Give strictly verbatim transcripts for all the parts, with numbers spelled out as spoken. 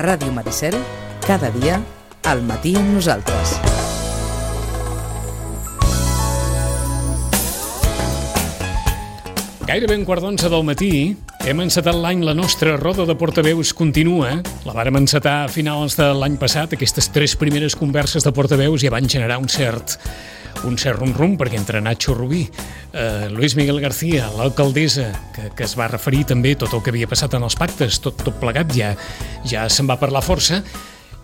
Ràdio Maricel, cada dia, al matí amb nosaltres. Gairebé un quart d'onze del matí, hem encetat l'any, la nostra roda de portaveus continua. La vàrem encetar a finals de l'any passat. Aquestes tres primeres converses de portaveus ja van generar un cert un cert rum-rum, perquè entre Nacho Rubí, eh, Luis Miguel García, l'alcaldessa, que, que es va referir també tot el que havia passat en els pactes, tot, tot plegat, ja, ja se'n va parlar força,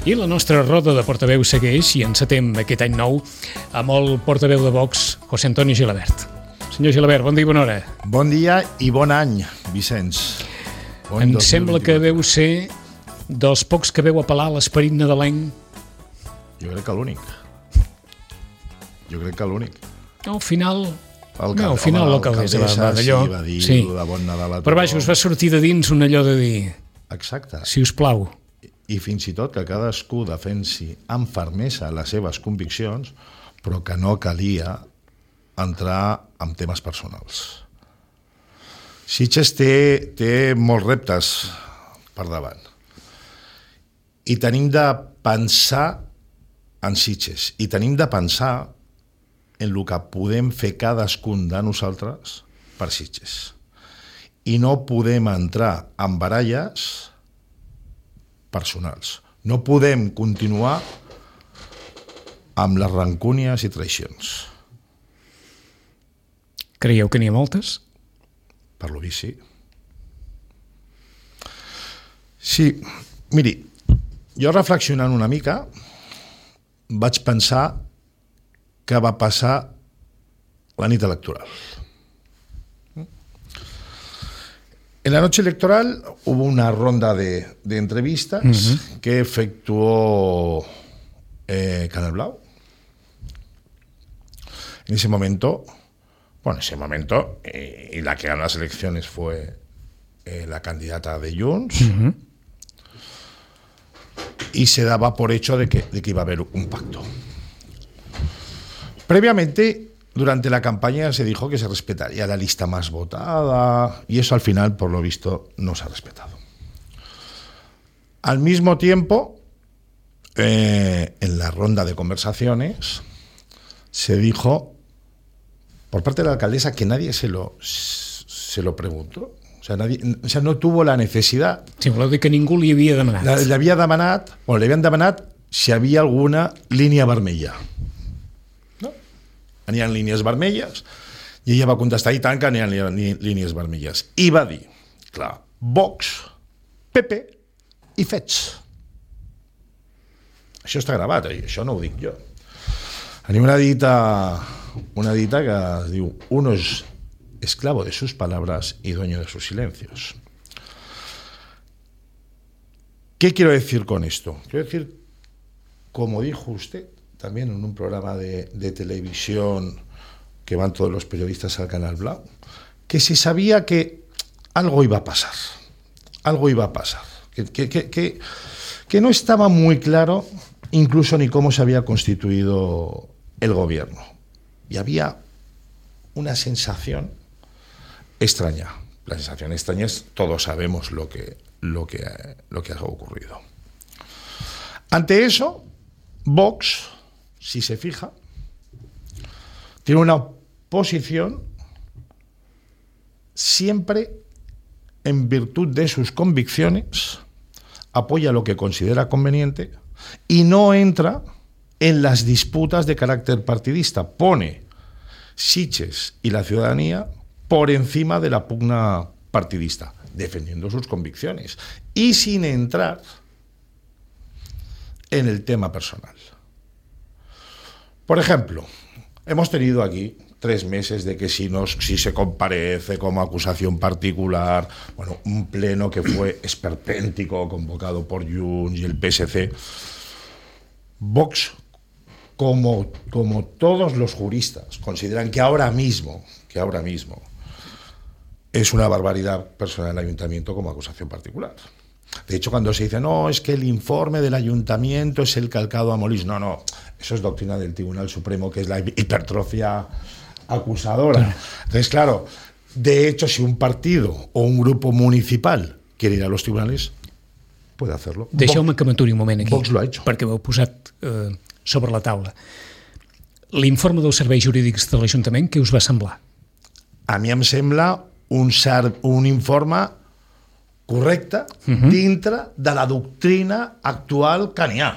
i la nostra roda de portaveus segueix, i encetem aquest any nou amb el portaveu de Vox, José Antonio Gilabert. Senyor Gilabert, bon dia i bona hora. Bon dia i bon any, Vicenç. Bon em sembla que veu ser dels pocs que veu apel·lar a l'esperit nadalenc. Jo crec que l'únic. Jo crec que l'únic. No, al final... El no, al final l'alcaldessa va, va d'allò. Sí, va dir sí. de bon Nadal a tothom. Però vaja, us va sortir de dins un allò de dir... Exacte. Si us plau. I fins i tot que cadascú defensi amb fermesa les seves conviccions, però que no calia entrar en temes personals. Sitges té, té molts reptes per davant. I tenim de pensar en Sitges. I tenim de pensar en el que podem fer cadascun de nosaltres per Sitges. I no podem entrar en baralles personals. No podem continuar amb les rancúnies i traïcions. Creieu que n'hi ha moltes? Per lo vist, sí. Sí, miri, jo reflexionant una mica vaig pensar que va passar la nit electoral. En la noche electoral hubo una ronda de, de entrevistas uh-huh. que efectuó eh, Canal Blau. En ese momento, bueno, en ese momento, eh, y la que ganó las elecciones fue eh, la candidata de Junts, uh-huh. y se daba por hecho de que, de que iba a haber un pacto. Previamente, durante la campaña se dijo que se respetaría la lista más votada y eso al final, por lo visto, no se ha respetado. Al mismo tiempo, eh, en la ronda de conversaciones se dijo por parte de la alcaldesa que nadie se lo, se lo preguntó. O sea, nadie, o sea, no tuvo la necesidad. Sí, voleu dir que ningú li havia demanat. La, li havia demanat, o li havien demanat si havia alguna línia vermella. No? N'hi ha línies vermelles, i ella va contestar, i tant que n'hi ha línies vermelles. I va dir, clar, Vox, P P i Fets. Això està gravat, eh? Això no ho dic jo. Tenim una dita, una dita que es diu, uno es esclavo de sus palabras y dueño de sus silencios. ¿Qué quiero decir con esto? Quiero decir, como dijo usted, también en un programa de, de televisión que van todos los periodistas al Canal Blau, que se sabía que algo iba a pasar, algo iba a pasar, que, que, que, que, que no estaba muy claro incluso ni cómo se había constituido el gobierno. Y había una sensación extraña. La sensación extraña es, todos sabemos lo que, lo que, lo que ha ocurrido. Ante eso, Vox, si se fija, tiene una posición siempre en virtud de sus convicciones, apoya lo que considera conveniente y no entra en las disputas de carácter partidista. Pone Sitges y la ciudadanía por encima de la pugna partidista, defendiendo sus convicciones y sin entrar en el tema personal. Por ejemplo, hemos tenido aquí tres meses de que si, nos, si se comparece como acusación particular, bueno, un pleno que fue esperpéntico, convocado por Junts y el P S C. Vox, como, como todos los juristas, consideran que ahora mismo, que ahora mismo es una barbaridad personal el ayuntamiento como acusación particular. De hecho, cuando se dice, no, es que el informe del ayuntamiento es el calcado a Molins. No, no, eso es doctrina del Tribunal Supremo, que es la hipertrofia acusadora. Entonces, claro, de hecho, si un partido o un grupo municipal quiere ir a los tribunales, puede hacerlo. Deixeu-me que m'aturi un moment aquí, Vox lo ha hecho. perquè ho heu posat eh, sobre la taula. L'informe dels serveis jurídics de l'Ajuntament, què us va semblar? A mi em sembla un, ser, un informe correcte uh-huh. dintre de la doctrina actual que n'hi ha.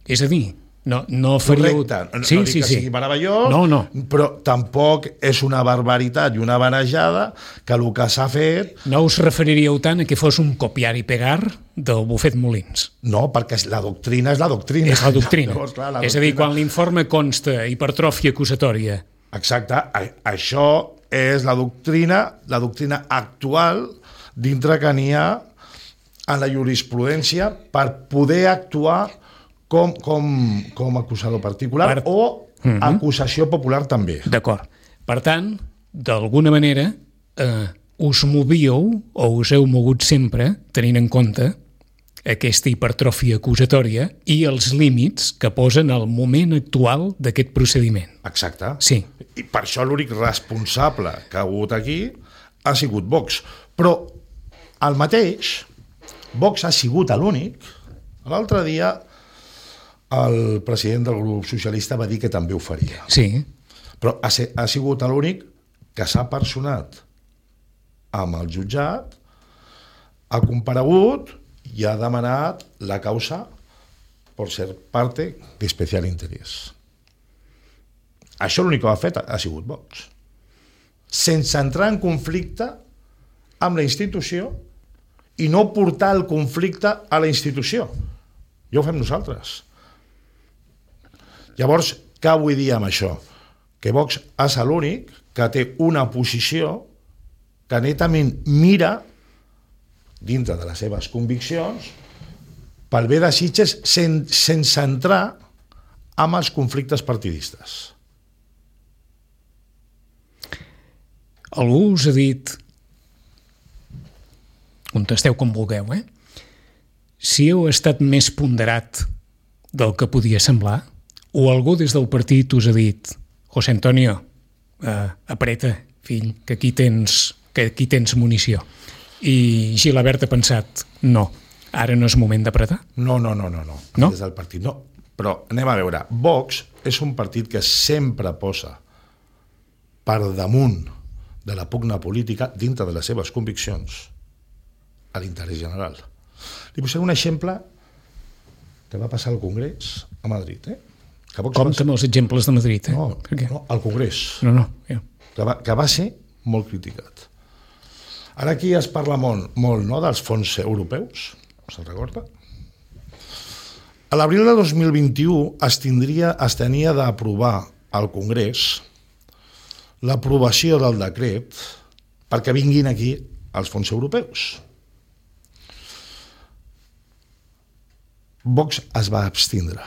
És a dir, no, no faríeu... Correcte. No, sí, no dic sí, que sí. sigui meravellós, no, no. però tampoc és una barbaritat i una vanejada que el que s'ha fet... No us referiríeu tant a que fos un copiar i pegar del bufet Molins. No, perquè la doctrina és la doctrina. És la doctrina. Llavors, clar, la és a dir, doctrina... quan l'informe consta hipertròfia acusatòria... Exacte. A, això és la doctrina, la doctrina actual dintre que n'hi ha en la jurisprudència per poder actuar com, com, com acusador particular per... o uh-huh. acusació popular també. D'acord. Per tant, d'alguna manera, eh, us movíeu o us heu mogut sempre tenint en compte aquesta hipertròfia acusatòria i els límits que posen al moment actual d'aquest procediment. Exacte. Sí. I per això l'únic responsable que ha hagut aquí ha sigut Vox. Però el mateix, Vox ha sigut l'únic. L'altre dia el president del grup socialista va dir que també ho faria. Sí. Però ha, ha sigut l'únic que s'ha personat amb el jutjat, ha comparegut i ha demanat la causa per ser parte d'especial interès. Això l'únic que ha fet ha sigut Vox. Sense entrar en conflicte amb la institució i no portar el conflicte a la institució. Ja ho fem nosaltres. Llavors, què vull dir amb això? Que Vox és l'únic que té una posició que netament mira dintre de les seves conviccions pel bé de Sitges sen, sense entrar amb els conflictes partidistes. Algú us ha dit, contesteu com vulgueu, eh? Si heu estat més ponderat del que podia semblar, o algú des del partit us ha dit José Antonio, eh, apreta, fill, que aquí tens, que aquí tens munició. I Gilabert ha pensat, no, ara no és moment d'apretar? No, no, no, no, no. No? Des del partit, no. Però anem a veure, Vox és un partit que sempre posa per damunt de la pugna política dintre de les seves conviccions a l'interès general. Li posaré un exemple que va passar al Congrés a Madrid, eh? Que Vox Compte amb els exemples de Madrid, eh? No, no, al Congrés. No, no, ja. Que va, que va ser molt criticat. Ara aquí es parla molt, molt no, dels fons europeus, se'n recorda? A l'abril de dos mil vint-i-u es, tindria, es tenia d'aprovar al Congrés l'aprovació del decret perquè vinguin aquí els fons europeus. Vox es va abstindre.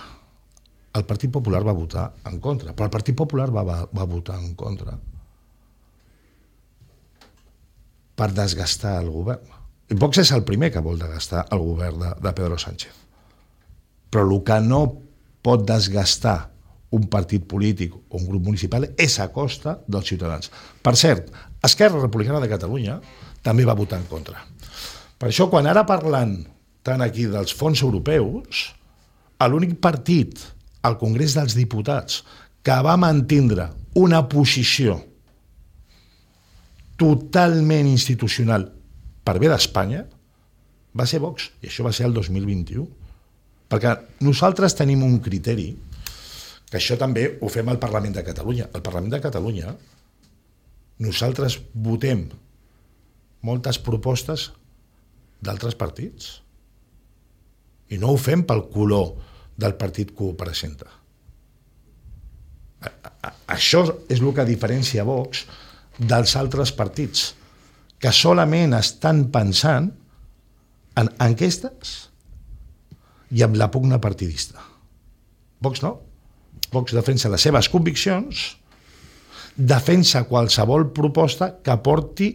El Partit Popular va votar en contra, però el Partit Popular va, va, va votar en contra per desgastar el govern. I Vox és el primer que vol desgastar el govern de, de Pedro Sánchez. Però el que no pot desgastar un partit polític o un grup municipal és a costa dels ciutadans. Per cert, Esquerra Republicana de Catalunya també va votar en contra. Per això, quan ara parlant tant aquí dels fons europeus, l'únic partit al Congrés dels Diputats que va mantindre una posició totalment institucional per bé d'Espanya va ser Vox, i això va ser el dos mil vint-i-u. Perquè nosaltres tenim un criteri, que això també ho fem al Parlament de Catalunya. Al Parlament de Catalunya nosaltres votem moltes propostes d'altres partits i no ho fem pel color del partit que ho presenta. Això és el que diferencia Vox dels altres partits, que solament estan pensant en enquestes i en la pugna partidista. Vox no. Vox defensa les seves conviccions, defensa qualsevol proposta que porti,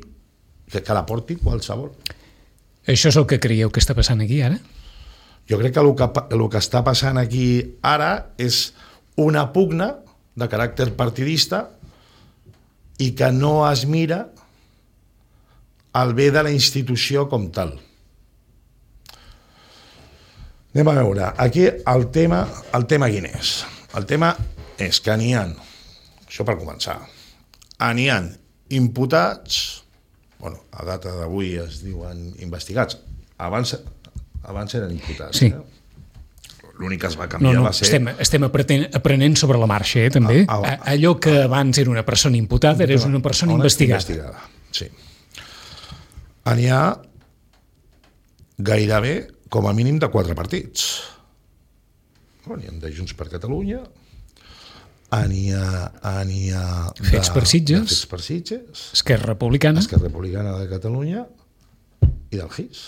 que, que la porti qualsevol. Això és el que creieu que està passant aquí ara? Jo crec que el que, el que està passant aquí ara és una pugna de caràcter partidista i que no es mira el bé de la institució com tal. Anem a veure. Aquí el tema, el tema quin és? El tema és que n'hi ha, això per començar, n'hi ha imputats, bueno, a data d'avui es diuen investigats, abans, abans eren imputats. Sí. Eh? L'únic que es va canviar no, no, va ser... Estem, estem aprenent, aprenent sobre la marxa, eh, també. Ah, ah, ah, Allò que abans era una persona imputada, ara és una persona una investigada. investigada. Sí. N'hi ha gairebé com a mínim de quatre partits. Bueno, n'hi ha de Junts per Catalunya, n'hi ha, n'hi ha de, Fets per Sitges, de Fets per Sitges, Esquerra Republicana, Esquerra Republicana de Catalunya i del G I S.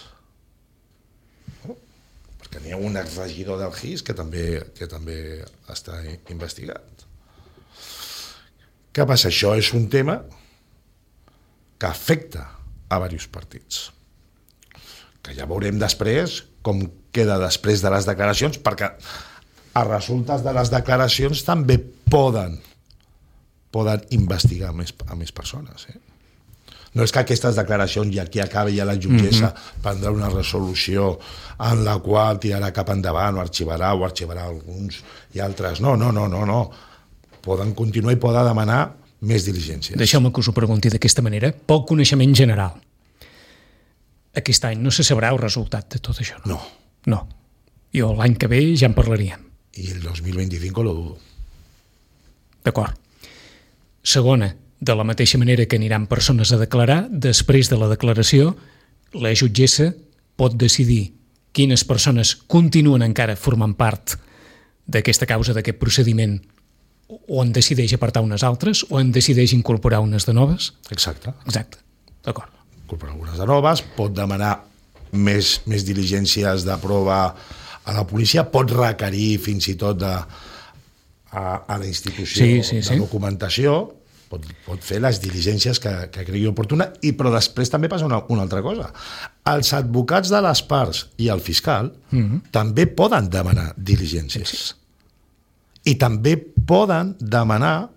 Oh, perquè n'hi ha un exregidor del G I S que també, que també està investigat. Què passa? Això és un tema que afecta a diversos partits, que ja veurem després com queda després de les declaracions, perquè a resultes de les declaracions també poden poden investigar més, a més persones. Eh? No és que aquestes declaracions i aquí acabi ja la jutgessa mm-hmm. prendrà una resolució en la qual tirarà cap endavant o arxivarà o arxivarà alguns i altres. No, no, no, no, no. Poden continuar i poden demanar més diligències. Deixeu-me que us ho pregunti d'aquesta manera. Poc coneixement general. Aquest any no se sabrà el resultat de tot això, no? No. No. I l'any que ve ja en parlaríem. I el dos mil vint-i-cinc lo dudo. D'acord. Segona, de la mateixa manera que aniran persones a declarar, després de la declaració, la jutgessa pot decidir quines persones continuen encara formant part d'aquesta causa, d'aquest procediment, o en decideix apartar unes altres, o en decideix incorporar unes de noves? Exacte. Exacte. D'acord. Incorporar algunes de noves, pot demanar més, més diligències de prova a la policia, pot requerir fins i tot de, a, a la institució sí, sí, sí. de documentació, pot, pot fer les diligències que, que cregui oportuna, i però després també passa una, una altra cosa. Els advocats de les parts i el fiscal mm-hmm. també poden demanar diligències. Sí, sí. I també poden demanar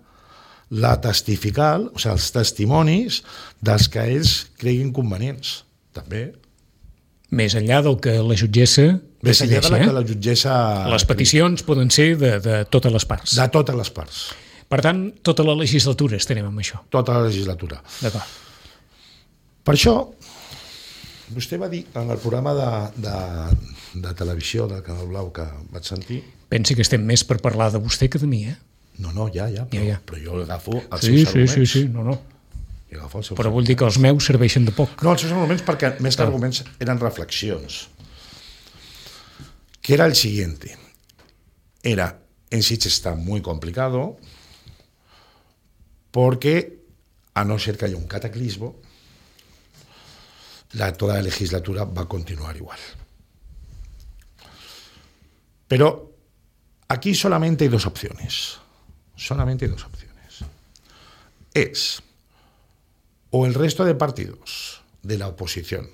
la testifical, o sigui, els testimonis dels que ells creguin convenients. També. Més enllà del que la jutgessa Més enllà decideix, de la eh? que la jutgessa... Les peticions poden ser de, de totes les parts. De totes les parts. Per tant, tota la legislatura estarem amb això. Tota la legislatura. D'acord. Per això, vostè va dir en el programa de, de, de televisió del Canal Blau que vaig sentir... Pensi que estem més per parlar de vostè que de mi, eh? No, no, ja, ja, però, ja, ja. però jo agafo els sí, seus sí, arguments. Sí, sí, sí, no, no. Els seus però vull dir que els meus serveixen de poc. No, els seus arguments, perquè més que ah. arguments eren reflexions. Que era el siguiente. Era, en Sitges está muy complicado porque, a no ser que haya un cataclismo, la, toda la legislatura va a continuar igual. Pero aquí solamente hay dos opciones. Solamente hay dos opciones. Es o el resto de partidos de la oposición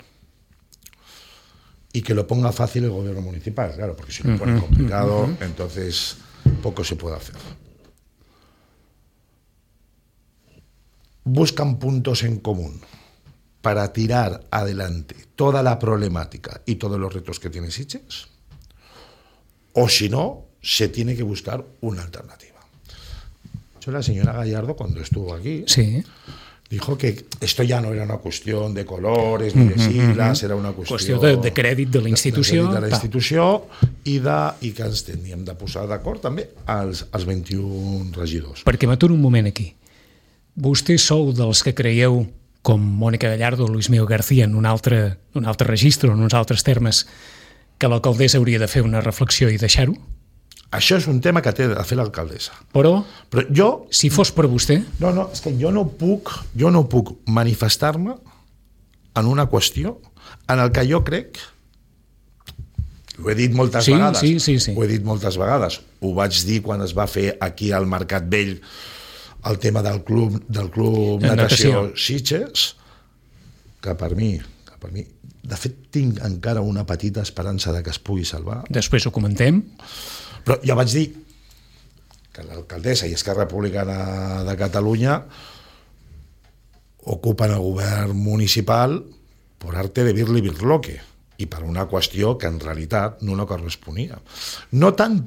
y que lo ponga fácil el gobierno municipal, claro, porque si lo pone complicado, uh-huh. entonces poco se puede hacer. Buscan puntos en común para tirar adelante toda la problemática y todos los retos que tiene Sitges, o si no, se tiene que buscar una alternativa. Yo, la señora Gallardo, cuando estuvo aquí, sí. dijo que esto ya no era una cuestión de colores ni de siglas, era una qüestió, qüestió de, de crèdit de la institució, de, de la institució i, de, i que ens teníem de posar d'acord també als, als vint-i-un regidors. Perquè m'aturo un moment aquí. Vostès sou dels que creieu, com Mònica Gallardo o Luis Miguel García en un altre, un altre registre, en uns altres termes, que l'alcaldessa hauria de fer una reflexió i deixar-ho? Això és un tema que té de fer l'alcaldessa. Però, Però jo, si fos per vostè... No, no, és que jo no puc, jo no puc manifestar-me en una qüestió en el que jo crec, ho he dit moltes sí, vegades, sí, sí, sí. ho he dit moltes vegades, ho vaig dir quan es va fer aquí al Mercat Vell el tema del club, del club natació, natació Sitges, que per mi, que per mi, de fet tinc encara una petita esperança de que es pugui salvar. Després ho comentem. Però ja vaig dir que l'alcaldessa i Esquerra Republicana de Catalunya ocupen el govern municipal por arte de birli birloque. i per una qüestió que en realitat no no corresponia. No tant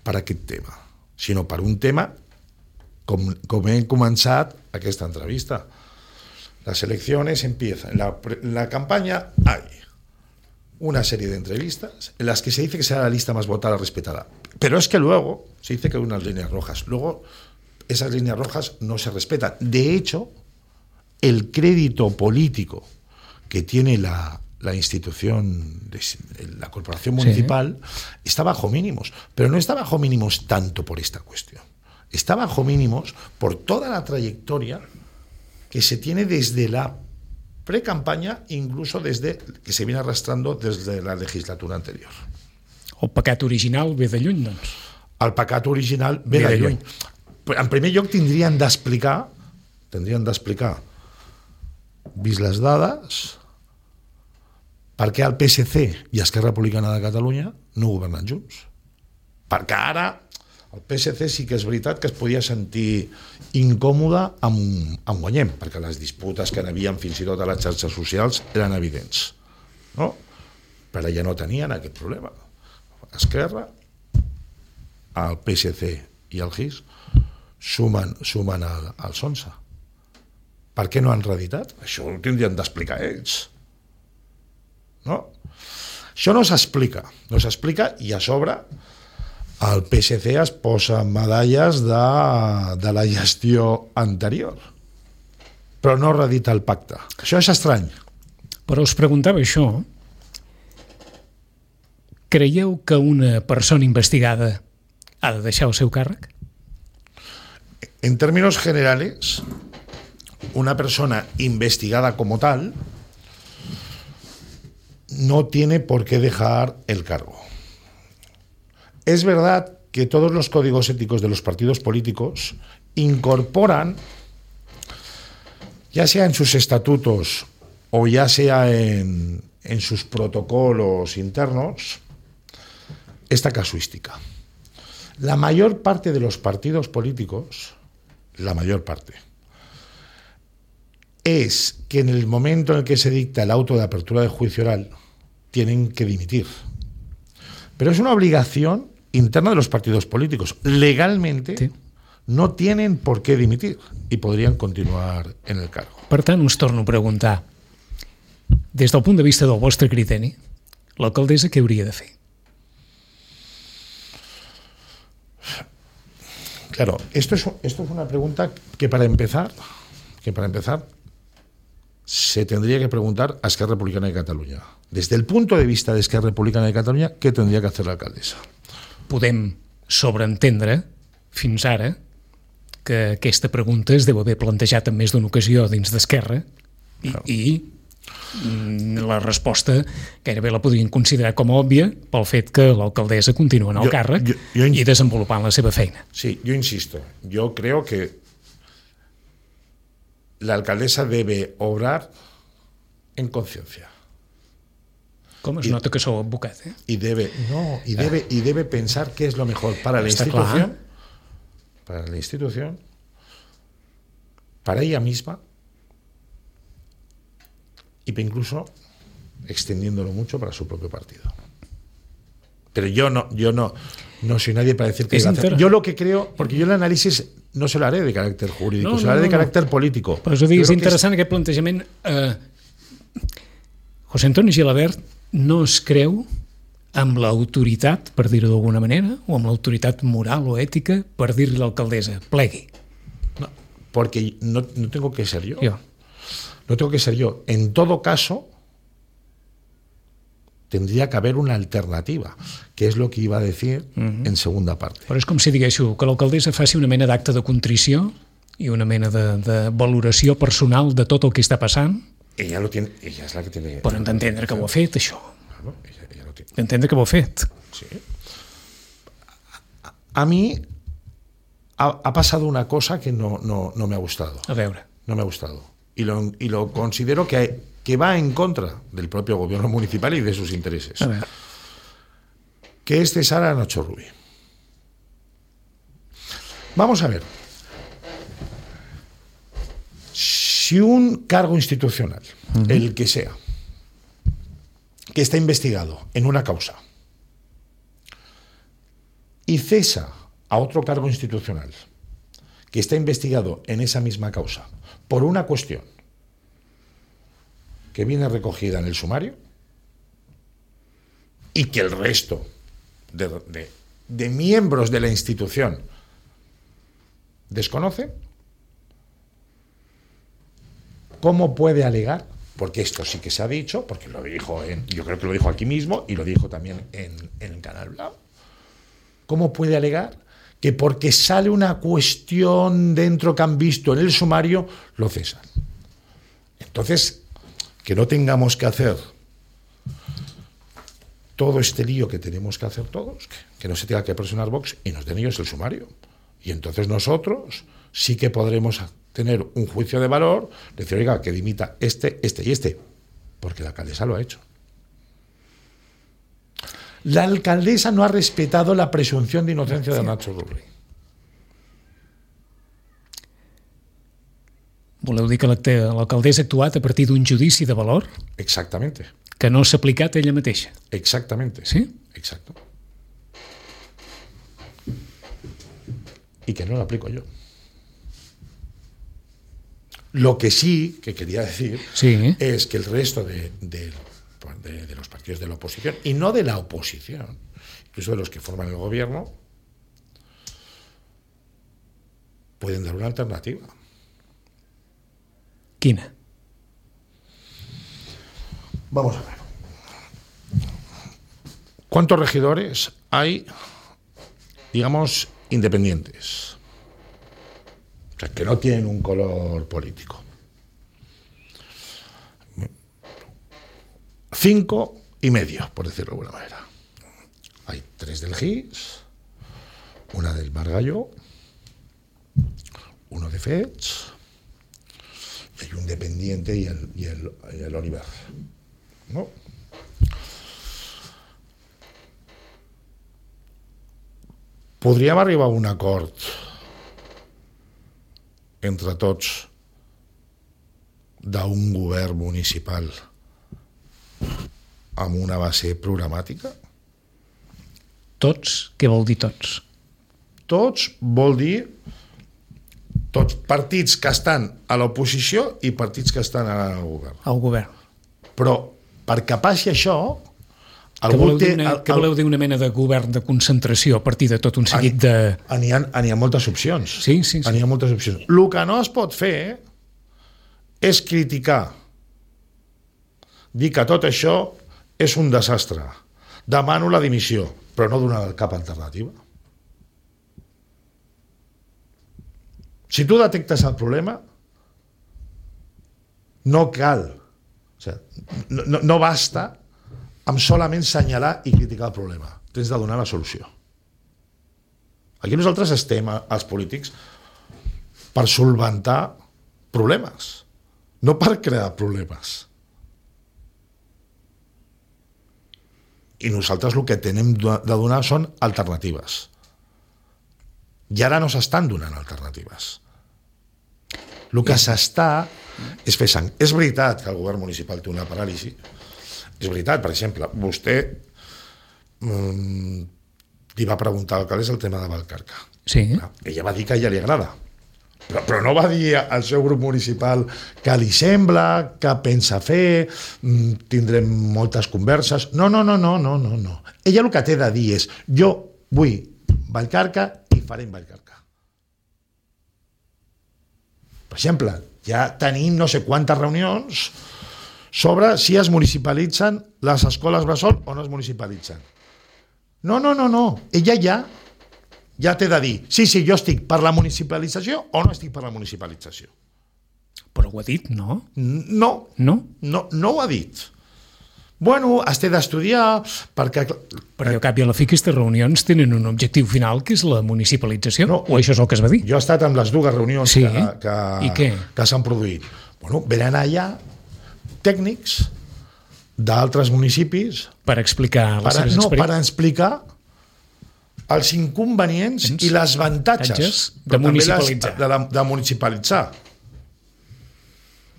per aquest tema, sinó per un tema com, com hem començat aquesta entrevista. Las elecciones empiezan. En la, en la campaña hay una serie de entrevistas en las que se dice que será la lista más votada, respetada. Pero es que luego se dice que hay unas líneas rojas. Luego esas líneas rojas no se respetan. De hecho, el crédito político que tiene la, la institución, de, la corporación municipal, sí, está bajo mínimos. Pero no está bajo mínimos tanto por esta cuestión. Está bajo mínimos por toda la trayectoria que se tiene desde la pre-campaña, incluso desde que se viene arrastrando desde la legislatura anterior. El pecat original ve de lluny, doncs. El pecat original ve, ve de lluny. lluny. En primer lloc tindrien d'explicar, tindrien d'explicar, vist les dades, per què el P S C i Esquerra Republicana de Catalunya no governen junts. Perquè ara el P S C sí que és veritat que es podia sentir incòmode amb, amb Guanyem, perquè les disputes que n'havien fins i tot a les xarxes socials eren evidents, no? Però ja no tenien aquest problema. Esquerra, el P S C i el G I S sumen, sumen al, als onze. Per què no han reeditat? Això ho tindrien d'explicar ells. No? Això no s'explica. No s'explica i a sobre el P S C es posa medalles de, de la gestió anterior. Però no reedita el pacte. Això és estrany. Però us preguntava això. Creieu que una persona investigada ha de deixar el seu càrrec? En términos generales, una persona investigada como tal no tiene por qué dejar el cargo. Es verdad que todos los códigos éticos de los partidos políticos incorporan, ya sea en sus estatutos o ya sea en, en sus protocolos internos, esta casuística. La mayor parte de los partidos políticos, la mayor parte, es que en el momento en el que se dicta el auto de apertura de juicio oral, tienen que dimitir. Pero es una obligación interna de los partidos políticos. Legalmente sí, no tienen por qué dimitir i podrien continuar en el cargo. Per tant, us torno a preguntar, des del punt de vista del vostre criteri, l'alcaldessa què hauria de fer? Claro, esto es, esto es una pregunta que para empezar, que para empezar se tendría que preguntar a Esquerra Republicana de Catalunya. Desde el punto de vista de Esquerra Republicana de Catalunya, ¿qué tendría que hacer la alcaldesa? Podem sobreentendre, fins ara, que aquesta pregunta es deu haver plantejat en més d'una ocasió dins d'Esquerra i, claro, i la resposta gairebé la podrien considerar com a òbvia pel fet que l'alcaldessa continua en el jo, càrrec jo, jo, i desenvolupant la seva feina. Sí, yo insisto, yo creo que la alcaldesa debe obrar en conciencia. Com es y, nota que sou advocat, eh? Y debe, no, y debe, y debe pensar qué es lo mejor para la institución, clar. para la institución, para ella misma, y incluso extendiéndolo mucho para su propio partido. Pero yo no, yo no, no soy nadie para decir que iba a hacer. Yo lo que creo, porque yo el análisis no se lo haré de carácter jurídico, no, se lo haré no, de carácter no. político. Per això dic, és interessant és... aquest plantejament. Eh, José Antonio Gilabert no es creu amb l'autoritat, per dir-ho d'alguna manera, o amb l'autoritat moral o ètica per dir-li a l'alcaldessa, plegui. No, porque no, no tengo que ser yo. Yo. No tengo que ser yo. En todo caso, tendría que haber una alternativa, que es lo que iba a decir uh-huh. en segunda parte. Però és com si diguéssiu que l'alcaldessa faci una mena d'acte de contrició i una mena de, de valoració personal de tot el que està passant. Ella lo tiene, ella es la que tiene. Però d'entendre que ho ha fet, això. Claro, ella, ella lo tiene. D'entendre que ho ha fet. Sí. A, a mí ha, ha pasado una cosa que no, no, no me ha gustado. A veure. No me ha gustado. Y lo, y lo considero que, hay, que va en contra del propio gobierno municipal y de sus intereses. A ver. Que es cesar a Nacho Rubí. Vamos a ver. Si un cargo institucional, uh-huh. el que sea, que está investigado en una causa y cesa a otro cargo institucional que está investigado en esa misma causa por una cuestión que viene recogida en el sumario y que el resto de, de, de miembros de la institución desconocen, ¿cómo puede alegar? Porque esto sí que se ha dicho, porque lo dijo, en, yo creo que lo dijo aquí mismo y lo dijo también en, en el Canal Blau. ¿Cómo puede alegar que porque sale una cuestión dentro que han visto en el sumario, lo cesan? Entonces, que no tengamos que hacer todo este lío que tenemos que hacer todos, que, que no se tenga que presionar Vox y nos den ellos el sumario. Y entonces nosotros sí que podremos tener un juicio de valor, decir, oiga, que dimita este, este y este, porque la alcaldesa lo ha hecho. La alcaldesa no ha respetado la presunción de inocencia de Nacho Rubri. Voleu dir que l'alcaldessa ha actuat a partir d'un judici de valor? Exactamente. Que no s'ha aplicat ella mateixa? Exactamente. Sí? Exacto. Y que no lo aplico yo. Lo que sí que quería decir sí. es que el resto de, de, de, de los partidos de la oposición, y no de la oposición, incluso de los que forman el gobierno, pueden dar una alternativa. Quina? Vamos a ver. ¿Cuántos regidores hay, digamos, independientes? O sea, que no tienen un color político. Cinco y medio, por decirlo de alguna manera. Hay tres del G I S, una del Margallo, uno de Fets, y hay un dependiente y el, y el, y el Oliver. ¿No? Podríem arribar a un acord entre tots d'un govern municipal amb una base programàtica? Tots? Què vol dir tots? Tots vol dir tots partits que estan a l'oposició i partits que estan al govern. Al govern. Però perquè passi això... Què voleu, té, una, el, què voleu dir una mena de govern de concentració a partir de tot un seguit de... N'hi ha, n'hi ha moltes opcions. Sí, sí, sí. N'hi ha moltes opcions. El que no es pot fer és criticar, dir que tot això és un desastre. Demano la dimissió, però no donar cap alternativa. Si tu detectes el problema, no cal, o sigui, no, no, no basta amb solament senyalar i criticar el problema. Tens de donar la solució. Aquí nosaltres estem, els polítics, per solventar problemes, no per crear problemes. I nosaltres el que tenim de donar són alternatives. I ara no s'estan donant alternatives. El que s'està és fer sang. És veritat que el govern municipal té una paràlisi. És veritat, per exemple, vostè mmm, li va preguntar a l'alcaldessa el tema de Vallcarca. Sí. Ella va dir que a ella li agrada, però, però no va dir al seu grup municipal que li sembla, que pensa fer, tindrem moltes converses. No, no, no, no, no, no, no. Ella el que té de dir és jo vull Vallcarca i farem Vallcarca. Per exemple, ja tenim no sé quantes reunions sobre si es municipalitzen les escoles bressol o no es municipalitzen. No, no, no, no. Ella ja, ja té de dir sí, sí, jo estic per la municipalització o no estic per la municipalització. Però ho ha dit, no? No. No? No, no ho ha dit. Bueno, es té d'estudiar perquè... Perquè al cap i a la fi aquestes reunions tenen un objectiu final que és la municipalització, no, o això és el que es va dir? Jo he estat amb les dues reunions sí? que, que, I què? que s'han produït. Bueno, venen allà tècnics d'altres municipis per explicar les per, seves no, experiències. per explicar els inconvenients Tens i les avantatges de municipalitzar. Les, de, de municipalitzar.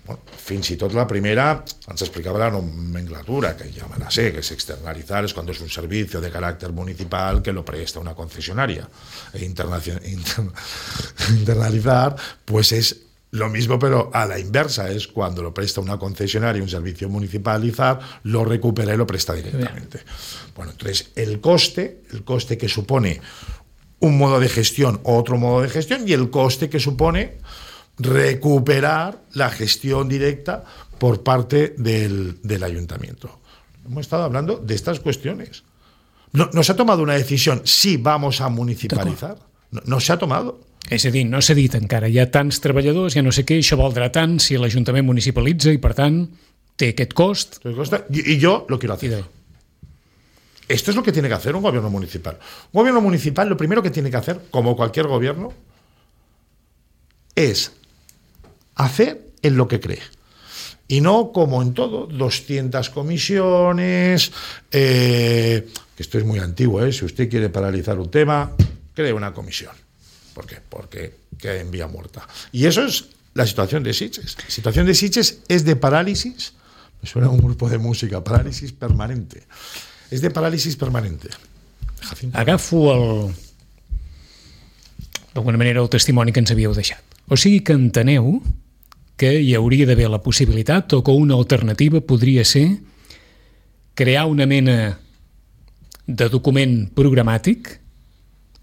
Bueno, fins i tot la primera ens explicava la nomenclatura, que ja me la sé, que es externalizar es cuando es un servicio de carácter municipal que lo presta una concesionaria. E internacion- inter- internalizar, pues es lo mismo, pero a la inversa, es cuando lo presta una concesionaria, un servicio municipalizar, lo recupera y lo presta directamente. Bueno, entonces, el coste, el coste que supone un modo de gestión o otro modo de gestión, y el coste que supone recuperar la gestión directa por parte del, del ayuntamiento. Hemos estado hablando de estas cuestiones. No, no se ha tomado una decisión si vamos a municipalitzar. No, no se ha tomado. És a dir, no s'ha dit encara, hi ha tants treballadors, ja no sé què, això valdrà tant si l'Ajuntament municipalitza i, per tant, té aquest cost. Y, y yo lo quiero hacer. Esto es lo que tiene que hacer un gobierno municipal. Un gobierno municipal lo primero que tiene que hacer, como cualquier gobierno, es hacer en lo que cree. Y no, como en todo, doscientas comisiones, eh, que esto es muy antiguo, ¿eh? Si usted quiere paralizar un tema, cree una comisión. ¿Por qué? Porque queda en vía muerta. Y eso es la situación de Sitges. La situación de Sitges es de parálisis, me suena un grupo de música, parálisis permanente. És de paràlisis permanente. Jacinto. Agafo el... d'alguna manera el testimoni que ens havíeu deixat. O sigui que enteneu que hi hauria d'haver la possibilitat o que una alternativa podria ser crear una mena de document programàtic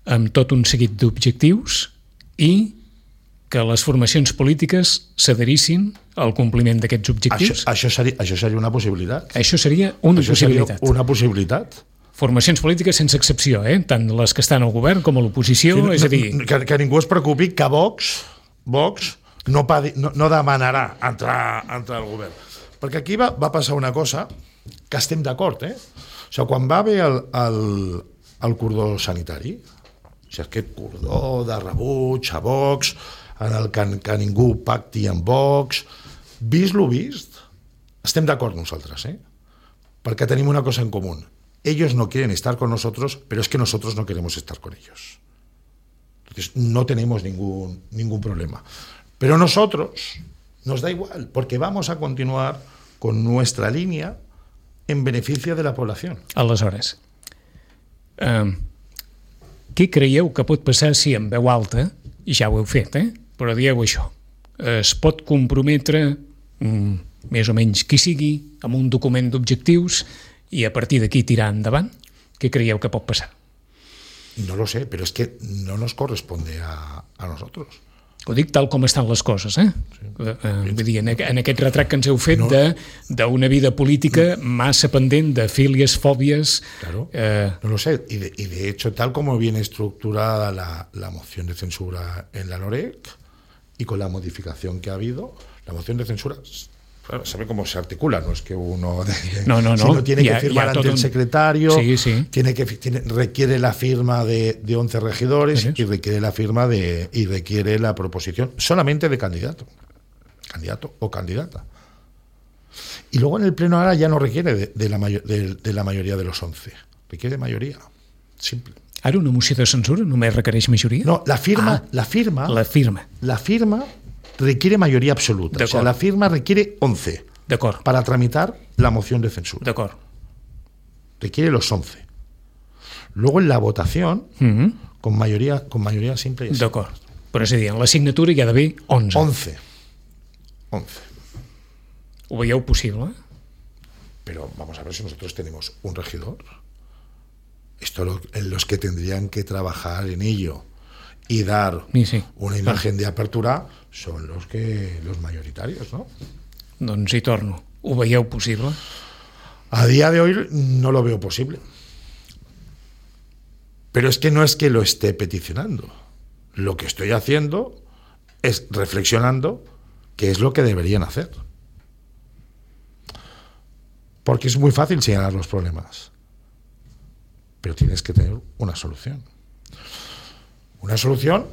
amb tot un seguit d'objectius i que les formacions polítiques s'adherissin al compliment d'aquests objectius. Això, això, seria, això seria una possibilitat. Això seria una això possibilitat. Seria una possibilitat. Formacions polítiques sense excepció, eh? Tant les que estan al govern com a l'oposició, sí, no, és a dir... Que, que ningú es preocupi que Vox, Vox no, padi, no, no demanarà entrar, entrar al govern. Perquè aquí va, va passar una cosa que estem d'acord, eh? O sigui, quan va haver el, el, el cordó sanitari, o sigui, aquest cordó de rebuig a Vox, en el que, que ningú pacti amb Vox, vist lo vist, estem d'acord nosaltres, eh? Perquè tenim una cosa en comú. Ellos no quieren estar con nosotros, pero es que nosotros no queremos estar con ellos. Entonces, no tenemos ningún, ningún problema. Pero nosotros nos da igual, porque vamos a continuar con nuestra línea en beneficio de la población. Aleshores, eh, què creieu que pot passar si en veu alta, i ja ho heu fet, eh? Però dieu això, es pot comprometre mm, més o menys qui sigui amb un document d'objectius i a partir d'aquí tirar endavant? Què creieu que pot passar? No lo sé, pero es que no nos corresponde a, a nosotros. Ho dic tal com estan les coses, eh? Sí. Eh, vull dir, en, en aquest retrat que ens heu fet no. d'una vida política massa pendent de fílies, fòbies... Claro, eh... no lo sé. Y de, y de hecho, tal como viene estructurada la, la moción de censura en la LOREC y con la modificación que ha habido, la moción de censura... Claro, sabe cómo se articula, no es que uno de, de, no, no, no. sino tiene ya, que firmar ante un... el secretario, sí, sí. Tiene que tiene, requiere la firma de, de once regidores ¿Sí? y requiere la firma de y requiere la proposición solamente de candidato, candidato o candidata. Y luego en el pleno ahora ya no requiere de, de, la, mayo, de, de la mayoría de los once, requiere mayoría, simple. Ara una moció de censura només requereix majoria? No, la firma, ah, la firma, la firma, la firma requiere mayoría absoluta. O sea, la firma requiere once para tramitar la moción de censura. De acuerdo. Requiere los once. Luego en la votación, mm-hmm. con mayoría con mayoría simple y así. D'acord. Però és a dir, en la signatura hi ha d'haver onze. Once. Once. ¿Ho veieu possible? Pero vamos a ver si nosotros tenemos un regidor. Esto lo, en los que tendrían que trabajar en ello y dar sí, sí. una imagen de apertura son los que los mayoritarios, ¿no? Doncs hi torno. Ho veieu possible? A día de hoy no lo veo posible. Pero es que no es que lo esté peticionando. Lo que estoy haciendo es reflexionando qué es lo que deberían hacer. Porque es muy fácil señalar los problemas. Pero tienes que tener una solución. Una solución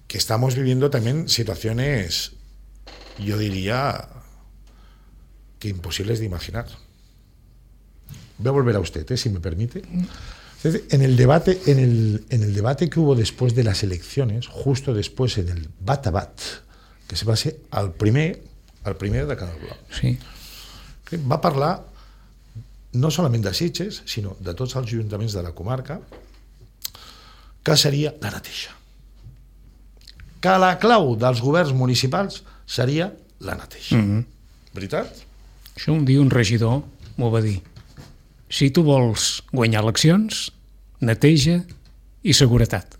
que estamos viviendo también situaciones, yo diría, que imposibles de imaginar. Voy a volver a usted, ¿eh? Si me permite. En el debate, en el, en el debate que hubo después de las elecciones, justo después en el bat a bat, que se va ser el primer el primer de Canal Blau. Sí. Va parlar no solament de Sitges, sinó de tots els ajuntaments de la comarca, que seria la neteja. Que la clau dels governs municipals seria la neteja. Mm-hmm. Veritat? Això un dia un regidor m'ho va dir. Si tu vols guanyar eleccions, neteja i seguretat.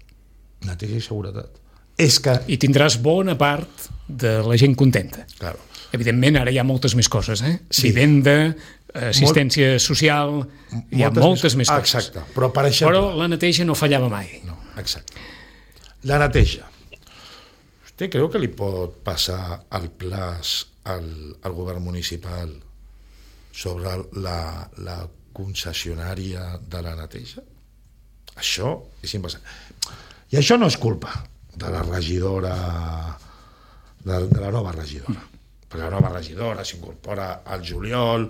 Neteja i seguretat. És que... I tindràs bona part de la gent contenta. Claro. Evidentment, ara hi ha moltes més coses, eh? Sí. Vivenda, assistència Molt... social, hi ha moltes, moltes més, més coses. Exacte. Però, per exemple... Però la neteja no fallava mai. No, exacte. La neteja. ¿Usted creu que li pot passar el plaç al, al govern municipal sobre la, la concessionària de la neteja? Això és impassable. I això no és culpa de la regidora, de, de la nova regidora. Perquè la nova regidora s'incorpora al juliol,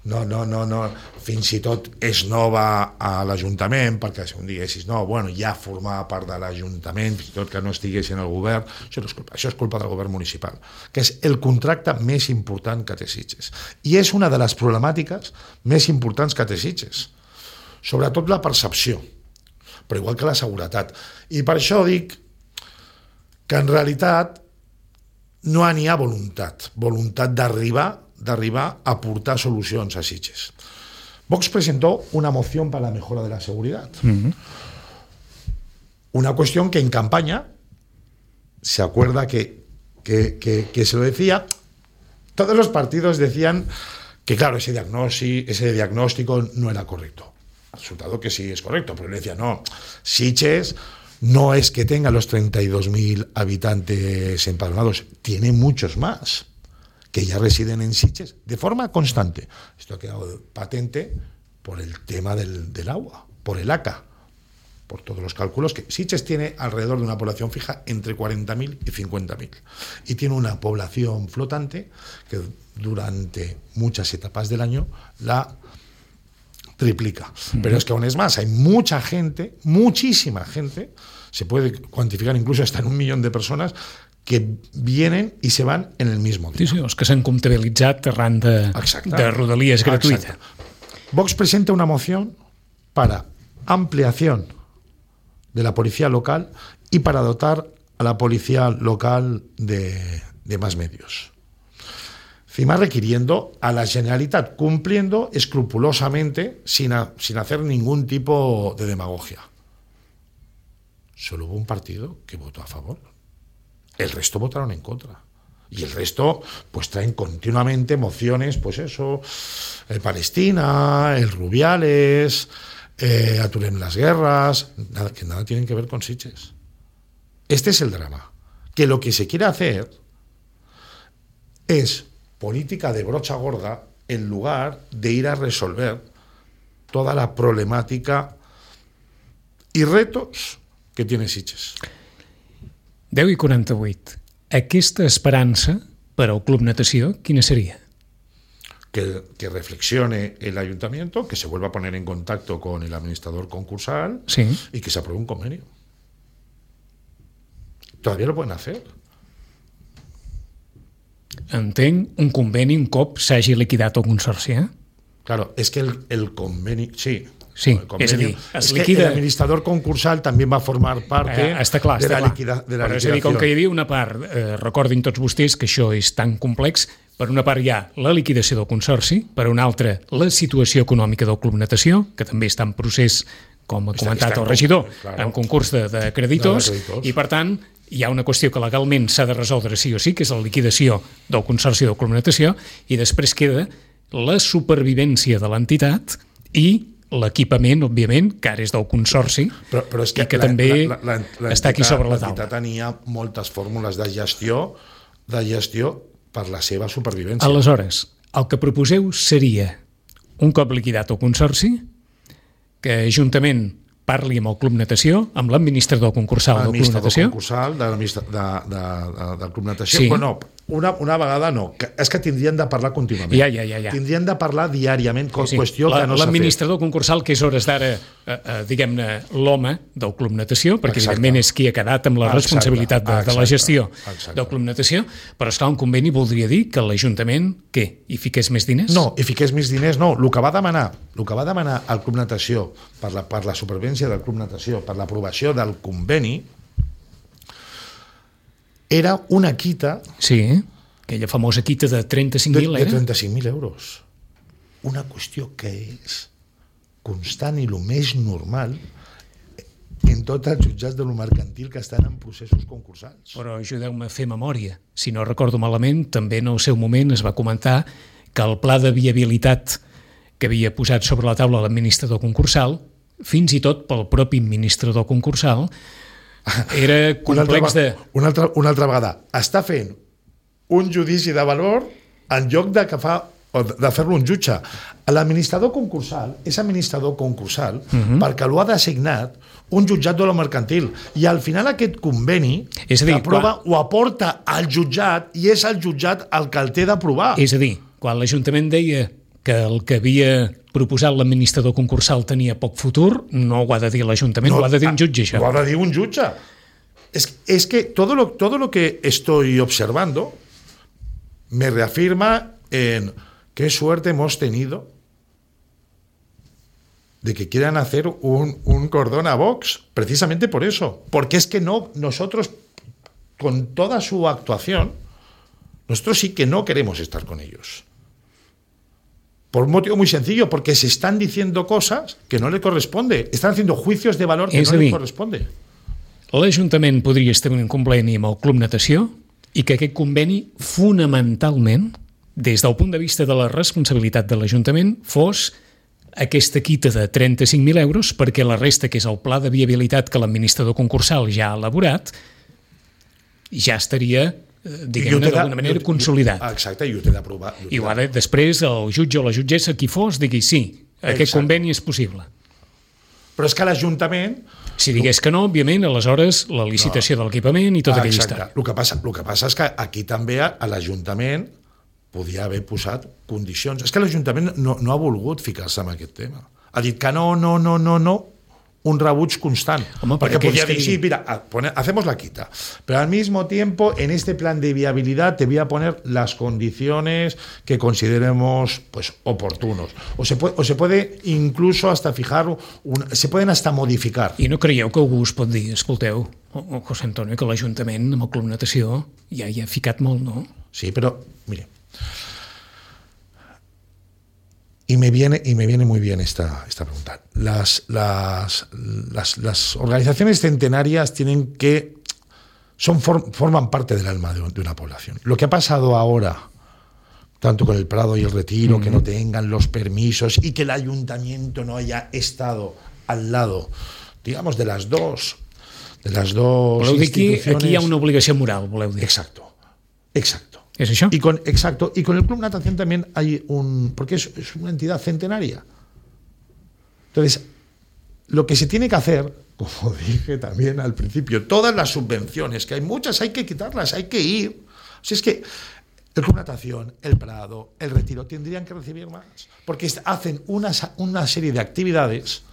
no, no, no, no, fins i tot és nova a l'Ajuntament, perquè si un diguessis, no, bueno, ja formava part de l'Ajuntament, fins i tot que no estigués en el govern, això no és culpa, això és culpa del govern municipal, que és el contracte més important que té Sitges. I és una de les problemàtiques més importants que té Sitges. Sobretot la percepció, però igual que la seguretat. I per això dic que en realitat no n'hi ha voluntat, voluntat d'arribar d'arribar a aportar solucions a Sitges. Vox presentó una moción para la mejora de la seguridad. Uh-huh. Una cuestión que en campaña se acuerda que, que, que, que se lo decía, todos los partidos decían que claro, ese diagnóstico, ese diagnóstico no era correcto. Resultado que sí es correcto, pero le decía, no, Sitges no es que tenga los treinta y dos mil habitantes empadronados, tiene muchos más que ya residen en Sitges de forma constante. Esto ha quedado patente por el tema del, del agua, por el A C A, por todos los cálculos, que Sitges tiene alrededor de una población fija entre cuarenta mil y cincuenta mil. Y tiene una población flotante que durante muchas etapas del año la triplica. Uh-huh. Pero es que aún es más, hay mucha gente, muchísima gente, se puede cuantificar incluso hasta en un millón de personas, que vienen i se van en el mismo dia. Sí, sí, els que s'han comptabilitzat arran de, de rodalies gratuïta. Exacte. Vox presenta una moción para ampliación de la policía local y para dotar a la policía local de, de más medios. Encima requiriendo a la Generalitat, cumpliendo escrupulosamente, sin, a, sin hacer ningún tipo de demagogia. Solo hubo un partido que votó a favor. El resto votaron en contra. Y el resto, pues traen continuamente mociones, pues eso, el Palestina, el Rubiales, eh, aturem las guerras, nada, que nada tienen que ver con Sitges. Este es el drama. Que lo que se quiere hacer es política de brocha gorda en lugar de ir a resolver toda la problemática y retos que tiene Sitges. deu i quaranta-vuit. Aquesta esperança per al Club Natació, quina seria? Que, que reflexione el ayuntamiento, que se vuelva a poner en contacto con el administrador concursal, sí, y que se apruebe un convenio. Todavía lo pueden hacer. Entenc, un conveni un cop s'hagi liquidat el consorci, eh? Claro, es que el, el convenio... Sí, Sí, convenio, és a dir, es es liquida... que el administrador concursal també va formar part eh, està clar, de, està la clar. liquida, de la Però liquidació. és a dir, com que hi havia una part, eh, recordin tots vostès que això és tan complex, per una part hi ha la liquidació del consorci, per una altra la situació econòmica del Club Natació, que també està en procés, com ha Està- comentat està en el regidor, concurs, claro. en concurs de, de creditors, De creditors. i per tant hi ha una qüestió que legalment s'ha de resoldre sí o sí, que és la liquidació del consorci del Club Natació, i després queda la supervivència de l'entitat i l'equipament, òbviament, que ara és del consorci, Però, però és que, i que la, també la, la, la, està aquí sobre la taula. L'entitat tenia moltes fórmules de gestió, de gestió per la seva supervivència. Aleshores, el que proposeu seria, un cop liquidat el consorci, que Ajuntament parli amb el Club Natació, amb l'administrador concursal del Club L'administrador Natació. concursal de, l'administra- de, de, de, del Club Natació, Sí. però no, Una, una vegada no, que és que tindrien de parlar contínuament. Ja, ja, ja, ja. Tindrien de parlar diàriament, Sí, sí. qüestió La, que no s'ha fet. L'administrador concursal, que és hores d'ara, eh, eh, diguem-ne, l'home del Club Natació, perquè Exacte. evidentment és qui ha quedat amb la Exacte. responsabilitat de, de la Exacte. gestió Exacte. del Club Natació, però esclar, un conveni voldria dir que l'Ajuntament, què, hi fiqués més diners? No, i fiqués més diners, no. El que va demanar, el que va demanar el Club Natació per la, per la supervivència del Club Natació, per l'aprovació del conveni, era una quita Sí, aquella famosa quita de trenta-cinc de, mil, de eh? trenta-cinc mil euros. Una qüestió que és constant i el més normal en tots els jutjats de lo mercantil que estan en processos concursals. Però ajudeu-me a fer memòria. Si no recordo malament, també en el seu moment es va comentar que el pla de viabilitat que havia posat sobre la taula l'administrador concursal, fins i tot pel propi administrador concursal, era complex de... Una altra, una altra vegada. Està fent un judici de valor en lloc de, que fa, o de fer-lo un jutge. L'administrador concursal és administrador concursal uh-huh. perquè l'ho ha designat un jutjat de lo mercantil. I al final aquest conveni És a dir, que aprova quan... ho aporta al jutjat i és el jutjat el que el té d'aprovar. És a dir, quan l'Ajuntament deia que el que havia proposat l'administrador concursal tenia poc futur, no ho ha de dir l'Ajuntament, no, ho ha de dir un jutge, això. Ho ha de dir un jutge. Es, es que todo lo, todo lo que estoy observando me reafirma en qué suerte hemos tenido de que quieran hacer un, un cordón a Vox, precisamente por eso. Porque es que no, nosotros, con toda su actuación, nosotros sí que no queremos estar con ellos. Por un motivo muy sencillo, porque se están diciendo cosas que no le corresponde. Están haciendo juicios de valor que És no a dir, le corresponde. L'Ajuntament podria establir un conveni amb el Club Natació i que aquest conveni, fonamentalment, des del punt de vista de la responsabilitat de l'Ajuntament, fos aquesta quita de trenta-cinc mil euros perquè la resta, que és el pla de viabilitat que l'administrador concursal ja ha elaborat, ja estaria, diguem-ne, d'alguna manera consolidat. Exacte, i ho té d'aprovar. I ho ha de, després el jutge o la jutgessa, qui fos, digui sí, aquest Exacte. conveni és possible. Però és que l'Ajuntament... Si digués que no, òbviament, aleshores la licitació no. de l'equipament i tota aquella història. El que, passa, el que passa és que aquí també a, a l'Ajuntament podia haver posat condicions. És que l'Ajuntament no, no ha volgut ficar-se en aquest tema. Ha dit que no, no, no, no, no, un rebuig constant. Home, porque podía decir, que... sí, mira, pone, hacemos la quita, pero al mismo tiempo en este plan de viabilidad te voy a poner las condiciones que consideremos pues oportunos. O se puede, o se puede incluso hasta fijar, un, se pueden hasta modificar. I no creieu que algú us pot dir, escolteu, o José Antonio, que l'Ajuntament amb el Club Natació ja hi ha ficat molt, no? Sí, pero, mire, Y me viene, y me viene muy bien esta, esta pregunta. Las, las, las, las organizaciones centenarias tienen que son, for, forman parte del alma de, de una población. Lo que ha pasado ahora, tanto con el Prado y el Retiro, mm-hmm. que no tengan los permisos y que el ayuntamiento no haya estado al lado, digamos, de las dos, de las dos voleu dir instituciones. Aquí, aquí hi ha una obligació moral, voleu dir. Exacto, exacto. ¿Es eso? Y con, exacto. Y con el Club Natación también hay un... Porque es, es una entidad centenaria. Entonces, lo que se tiene que hacer, como dije también al principio, todas las subvenciones, que hay muchas, hay que quitarlas, hay que ir. O sea, es que el Club Natación, el Prado, el Retiro, tendrían que recibir más. Porque hacen una, una serie de actividades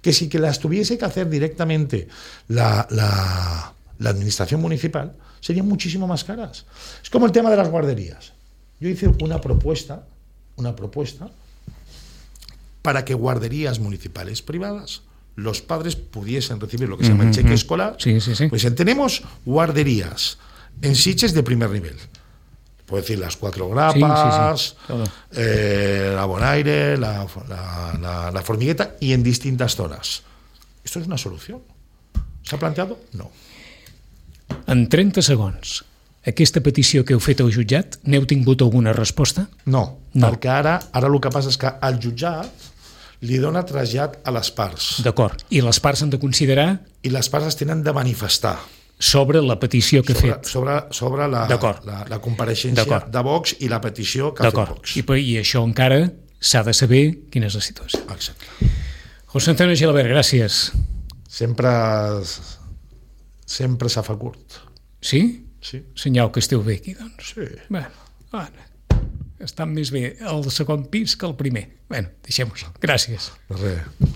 que si que las tuviese que hacer directamente la, la, la administración municipal, serían muchísimo más caras. Es como el tema de las guarderías. Yo hice una propuesta, una propuesta para que guarderías municipales privadas, los padres pudiesen recibir lo que se llama el cheque escolar. Sí, sí, sí. Pues tenemos guarderías en Sitges de primer nivel. Puedo decir las Cuatro Grapas, sí, sí, sí. Eh, la Bonaire, la, la, la, la Formigueta, y en distintas zonas. ¿Esto es una solución? ¿Se ha planteado? No. En trenta segons, aquesta petició que heu fet al jutjat, n'heu tingut alguna resposta? No, no. perquè ara, ara el que passa és que el jutjat li dona trasllat a les parts. D'acord, i les parts han de considerar... I les parts es tenen de manifestar. Sobre la petició que sobre, ha fet. Sobre, sobre la, la, la compareixença de Vox i la petició que ha fet Vox. I, I això encara s'ha de saber quina és la situació. Exacte. José Antonio Gilabert, gràcies. Sempre... sempre s'ha fa curt. Sí? Sí. Senyal que esteu bé aquí, doncs. Sí. Bueno, bueno, estan més bé el segon pis que el primer. Bueno, deixem-ho així. Gràcies. Res.